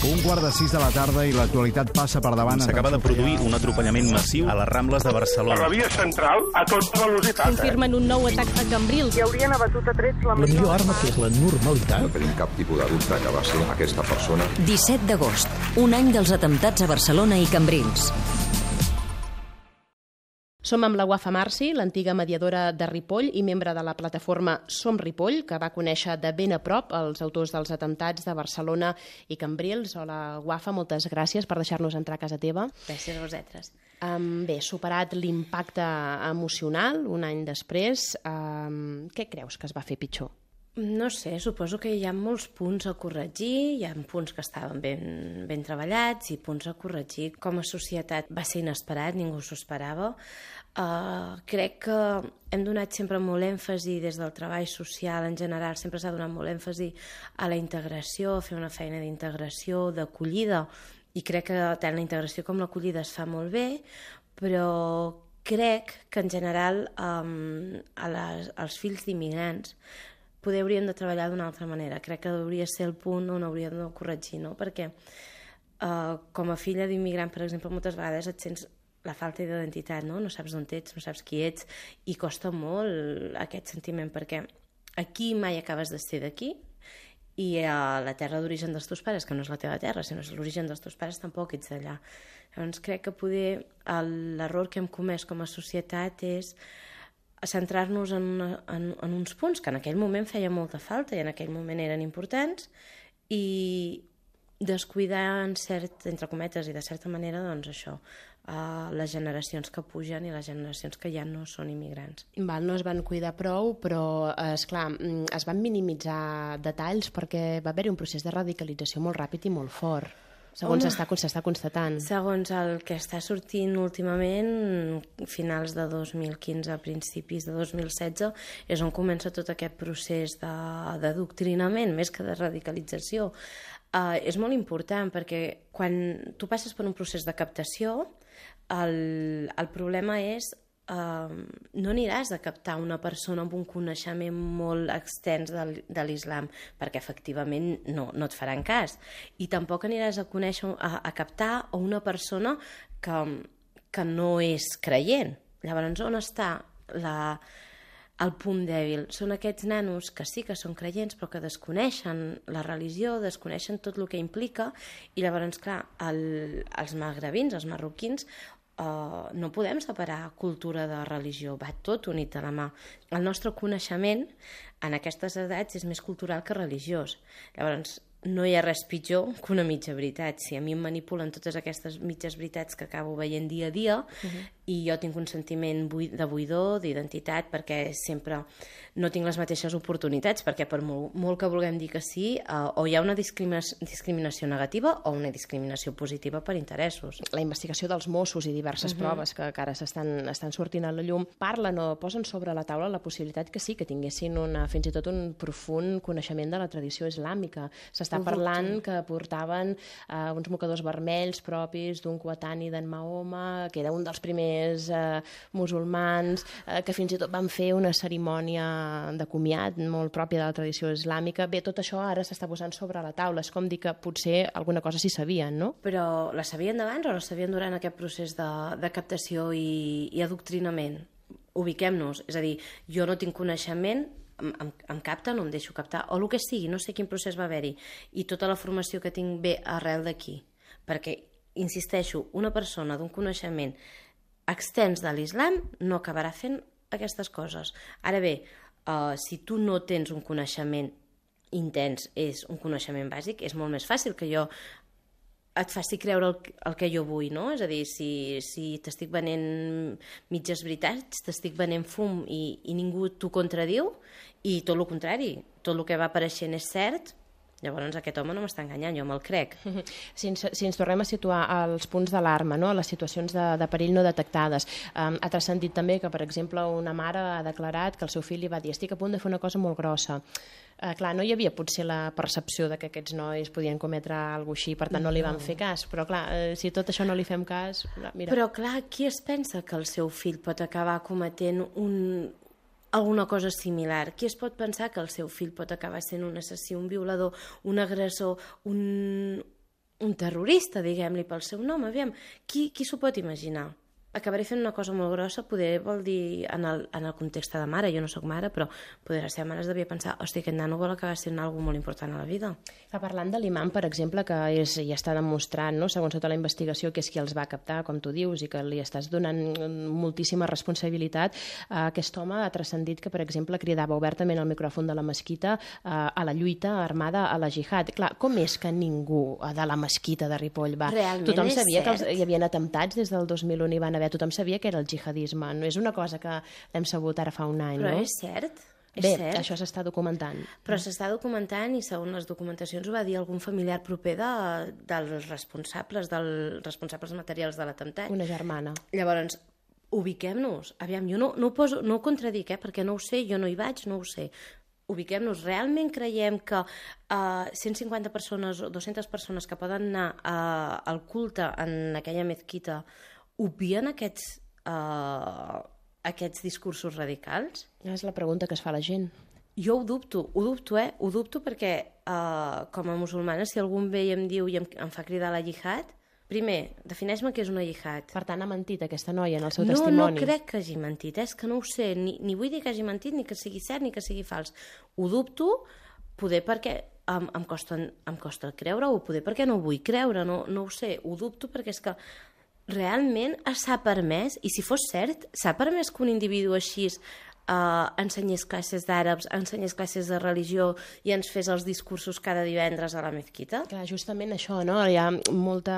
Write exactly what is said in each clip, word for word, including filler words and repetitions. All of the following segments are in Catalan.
Un quart de sis de la tarda i l'actualitat passa per davant. S'acaba de produir un atropellament massiu a les Rambles de Barcelona. A la via central, a tota velocitat. Confirmen un nou atac a Cambrils. Hi haurien abatut a trets la... La millor arma, que és la normalitat. No tenim cap tipus de dubte que va ser aquesta persona. disset d'agost, un any dels atemptats a Barcelona i Cambrils. Som amb la Wafa Marci, l'antiga mediadora de Ripoll i membre de la plataforma Som Ripoll, que va conèixer de ben a prop els autors dels atemptats de Barcelona i Cambrils. Hola, Wafa, moltes gràcies per deixar-nos entrar a casa teva. Gràcies a vosaltres. Um, bé, superat l'impacte emocional, un any després, um, què creus que es va fer pitjor? No sé, suposo que hi ha molts punts a corregir, hi ha punts que estaven ben, ben treballats i punts a corregir. Com a societat va ser inesperat, ningú s'ho esperava. Uh, crec que hem donat sempre molt èmfasi des del treball social en general, sempre s'ha donat molt èmfasi a la integració, a fer una feina d'integració, d'acollida, i crec que tant la integració com l'acollida es fa molt bé, però crec que en general um, a les, als fills d'immigrants poder haurien de treballar d'una altra manera. Crec que hauria ser el punt on hauríem de corregir, no? Perquè uh, com a filla d'immigrant, per exemple, moltes vegades et sents la falta d'identitat, no? No saps d'on ets, no saps qui ets, i costa molt aquest sentiment, perquè aquí mai acabes de ser d'aquí, i a la terra d'origen dels teus pares, que no és la teva terra, sinó és l'origen dels teus pares, tampoc ets d'allà. Llavors crec que poder l'error que hem comès com a societat és centrar-nos en, una, en, en uns punts que en aquell moment feia molta falta i en aquell moment eren importants, i descuidar en cert, entre cometes i de certa manera, doncs això, uh, les generacions que pugen i les generacions que ja no són immigrants. Val, no es van cuidar prou, però esclar, es van minimitzar detalls perquè va haver-hi un procés de radicalització molt ràpid i molt fort. Segons s'està constatant. Segons el que està sortint últimament, finals de dos mil quinze, principis de dos mil setze, és on comença tot aquest procés d'adoctrinament, més que de radicalització. Uh, és molt important perquè quan tu passes per un procés de captació, el, el problema és Uh, no aniràs a captar una persona amb un coneixement molt extens de, de l'islam, perquè efectivament no, no et faran cas, i tampoc aniràs a conèixer, a, a captar a una persona que, que no és creient. Llavors, on està la, el punt dèbil? Són aquests nanos que sí que són creients però que desconeixen la religió, desconeixen tot el que implica, i llavors, clar, el, els magrebins, els marroquins, Uh, no podem separar cultura de religió, va tot unit de la mà. El nostre coneixement en aquestes edats és més cultural que religiós. Llavors, no hi ha res pitjor que una mitja veritat. Si a mi em manipulen totes aquestes mitges veritats que acabo veient dia a dia, uh-huh. i jo tinc un sentiment de buidor, d'identitat, perquè sempre no tinc les mateixes oportunitats, perquè per molt, molt que vulguem dir que sí, uh, o hi ha una discriminació, discriminació negativa o una discriminació positiva per interessos. La investigació dels Mossos i diverses uh-huh. proves que, que ara s'estan estan sortint a la llum parlen o posen sobre la taula la possibilitat que sí, que tinguessin una, fins i tot un profund coneixement de la tradició islàmica. S'està parlant que portaven uh, uns mocadors vermells propis d'un coetani d'en Mahoma, que era un dels primers uh, musulmans, uh, que fins i tot van fer una cerimònia de comiat molt pròpia de la tradició islàmica. Bé, tot això ara s'està posant sobre la taula. És com dir que potser alguna cosa sí sabien, no? Però la sabien d'abans o la sabien durant aquest procés de, de captació i, i adoctrinament? Ubiquem-nos. És a dir, jo no tinc coneixement, Em, em, em capta, no em deixo captar, o el que sigui, no sé quin procés va haver-hi, i tota la formació que tinc ve arrel d'aquí, perquè, insisteixo, una persona d'un coneixement extens de l'islam no acabarà fent aquestes coses. Ara bé, uh, si tu no tens un coneixement intens, és un coneixement bàsic, és molt més fàcil que jo et faci creure el, el que jo vull, no? És a dir, si, si t'estic venent mitges veritats, t'estic venent fum i, i ningú t'ho contradiu, i tot el contrari, tot el que va apareixent és cert, llavors aquest home no m'està enganyant, jo me'l crec. Si ens, si ens tornem a situar als punts d'alarma, no? A les situacions de, de perill no detectades, um, ha transcendit també que, per exemple, una mare ha declarat que el seu fill li va dir estic a punt de fer una cosa molt grossa. Uh, clar, no hi havia potser la percepció de que aquests nois podien cometre alguna cosa així, per tant no li van fer cas, però clar, uh, si tot això no li fem cas... Mira. Però clar, qui es pensa que el seu fill pot acabar cometent un... alguna cosa similar? Qui es pot pensar que el seu fill pot acabar sent un assassí, un violador, un agressor, un, un terrorista, diguem-li pel seu nom, aviam, qui, qui s'ho pot imaginar? Acabaré fent una cosa molt grossa, poder vol dir, en el, en el context de mare, jo no sóc mare, però poder la seva mare es devia pensar, hòstia, aquest nano vol acabar sent una cosa molt important a la vida. Que parlant de l'imam, per exemple, que és, ja està demostrant, no, segons tota la investigació, que és qui els va captar, com tu dius, i que li estàs donant moltíssima responsabilitat, eh, aquest home ha transcendit que, per exemple, cridava obertament al micròfon de la mesquita eh, a la lluita armada a la jihad. Clar, com és que ningú de la mesquita de Ripoll va... Realment Tothom és sabia cert. que els, hi havia atemptats des del dos mil un i van haver, tothom sabia que era el jihadisme, no és una cosa que l'hem sabut ara fa un any, Però no? és cert, és Bé, cert. això s'està documentant. Però s'està documentant i segons les documentacions ho va dir algun familiar proper de, dels responsables, dels responsables materials de l'atemptat. Una germana. Llavors, ubiquem-nos. Aviam, jo no, no, ho poso, no ho contradic, eh, perquè no ho sé, jo no hi vaig, no ho sé. Ubiquem-nos. Realment creiem que uh, cent cinquanta persones o dues-centes persones que poden anar uh, al culte en aquella mezquita obvien aquests, uh, aquests discursos radicals? És la pregunta que es fa la gent. Jo ho dubto, ho dubto, eh? Ho dubto perquè, uh, com a musulmana, si algú em ve i em diu i em, em fa cridar la jihad, primer, defineix-me què és una jihad. Per tant, ha mentit aquesta noia en el seu no, testimoni. No crec que hagi mentit, eh? És que no ho sé, ni, ni vull dir que hagi mentit, ni que sigui cert, ni que sigui fals. Ho dubto, poder perquè em, em, costa, em costa creure-ho, poder perquè no ho vull creure, no, no ho sé, ho dubto perquè és que realment s'ha permès, i si fos cert, s'ha permès que un individu així uh, ensenyés classes d'àrabs, ensenyés classes de religió i ens fes els discursos cada divendres a la mezquita? Clar, justament això, no? Hi ha molta,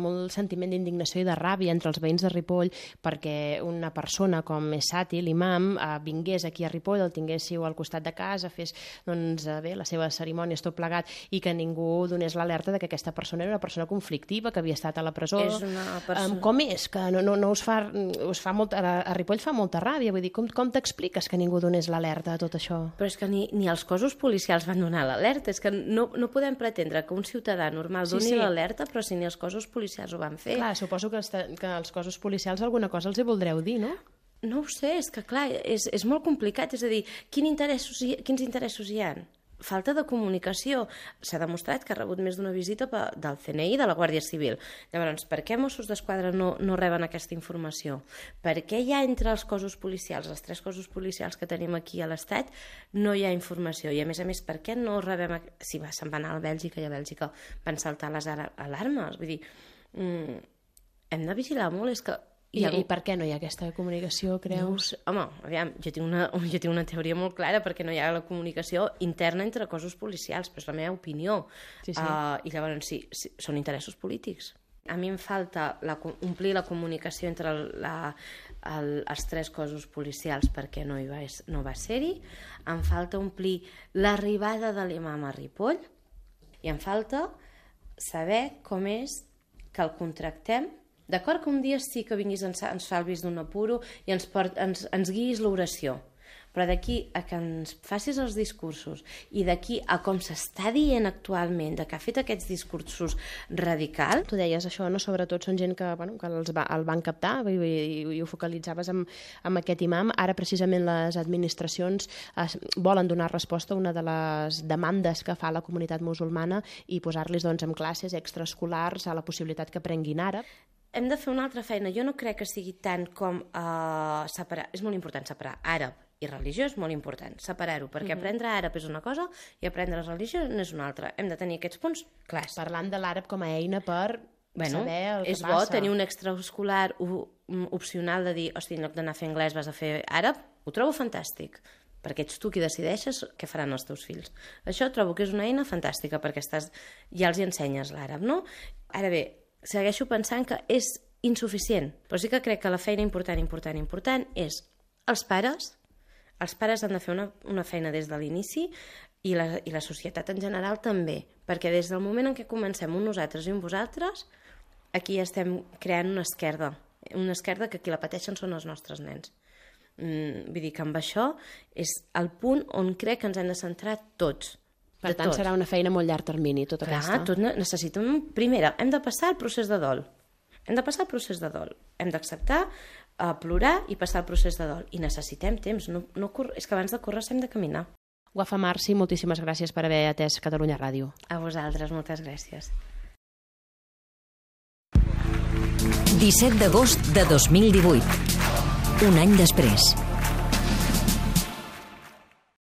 molt sentiment d'indignació i de ràbia entre els veïns de Ripoll perquè una persona com és Sati, l'imam, eh, vingués aquí a Ripoll, el tinguéssiu al costat de casa, fes doncs, eh, bé, les seves cerimònies tot plegat i que ningú donés l'alerta de que aquesta persona era una persona conflictiva, que havia estat a la presó. És una persona... Um, com és? Que no, no, no us fa, us fa molt, a, a Ripoll fa molta ràbia, vull dir, com, com t'expliques que ningú donés l'alerta a tot això? Però és que ni, ni els cossos policials van donar l'alerta, és que no, no podem pretendre que un ciutadà normal Sí, doni sí. l'alerta, però si ni els cossos policials ho van fer. Clar, suposo que els, que els cossos policials alguna cosa els hi voldreu dir, no? No ho sé, és que clar, és, és molt complicat, és a dir, quin interessos hi, quins interessos hi ha? Falta de comunicació. S'ha demostrat que ha rebut més d'una visita pe- del C N I i de la Guàrdia Civil. Llavors, per què Mossos d'Esquadra no, no reben aquesta informació? Per què hi ha entre els cossos policials, els tres cossos policials que tenim aquí a l'Estat, no hi ha informació? I a més a més, per què no rebem... a- Si va, se'n van anar a Bèlgica i a Bèlgica van saltar les ara- alarmes. Vull dir, mm, hem de vigilar molt, és que... I, ha- I per què no hi ha aquesta comunicació, No ho creus? sé. Home, aviam, jo tinc, una, jo tinc una teoria molt clara perquè no hi ha la comunicació interna entre cossos policials, però és la meva opinió. Sí, sí. Uh, I llavors, sí, sí, són interessos polítics. A mi em falta la, co- omplir la comunicació entre el, la, el, els tres cossos policials perquè no, hi va, es- no va ser-hi. Em falta omplir l'arribada de l'imam a Ripoll i em falta saber com és que el contractem. D'acord que un dia sí que vinguis, ens, ens salvis d'un apuro i ens, port, ens, ens guiïs l'oració, però d'aquí a que ens facis els discursos i d'aquí a com s'està dient actualment de que ha fet aquests discursos radicals... Tu deies això, no? Sobretot són gent que, bueno, que els va, el van captar i, i, i ho focalitzaves amb, amb aquest imam. Ara, precisament, les administracions es, volen donar resposta a una de les demandes que fa la comunitat musulmana i posar-los doncs, en classes extraescolars a la possibilitat que aprenguin àrab. Hem de fer una altra feina. Jo no crec que sigui tant com uh, separar... És molt important separar àrab i religió, és molt important separar-ho, perquè mm-hmm. aprendre àrab és una cosa i aprendre religió n'és una altra. Hem de tenir aquests punts clars. Parlant de l'àrab com a eina per bueno, saber el que és passa. bo tenir un extraescolar opcional de dir, hosti, en lloc d'anar a fer anglès vas a fer àrab, ho trobo fantàstic, perquè ets tu qui decideixes què faran els teus fills. Això trobo que és una eina fantàstica, perquè estàs, ja els hi ensenyes l'àrab, no? Ara bé, segueixo pensant que és insuficient, però sí que crec que la feina important, important, important és els pares. Els pares han de fer una, una feina des de l'inici i la, i la societat en general també, perquè des del moment en què comencem un nosaltres i un vosaltres, aquí estem creant una esquerda, una esquerda que qui la pateixen són els nostres nens. Mm, vull dir que amb això és el punt on crec que ens hem de centrar tots. Per tant, serà una feina a molt llarg termini, tota Clar, aquesta. tot necessitem... Primera, hem de passar el procés de dol. Hem de passar el procés de dol. Hem d'acceptar, uh, plorar i passar el procés de dol. I necessitem temps. No, no cor... És que abans de córrer hem de caminar. Wafa Marci, moltíssimes gràcies per haver atès Catalunya Ràdio. A vosaltres, moltes gràcies. disset d'agost de dos mil divuit. Un any després.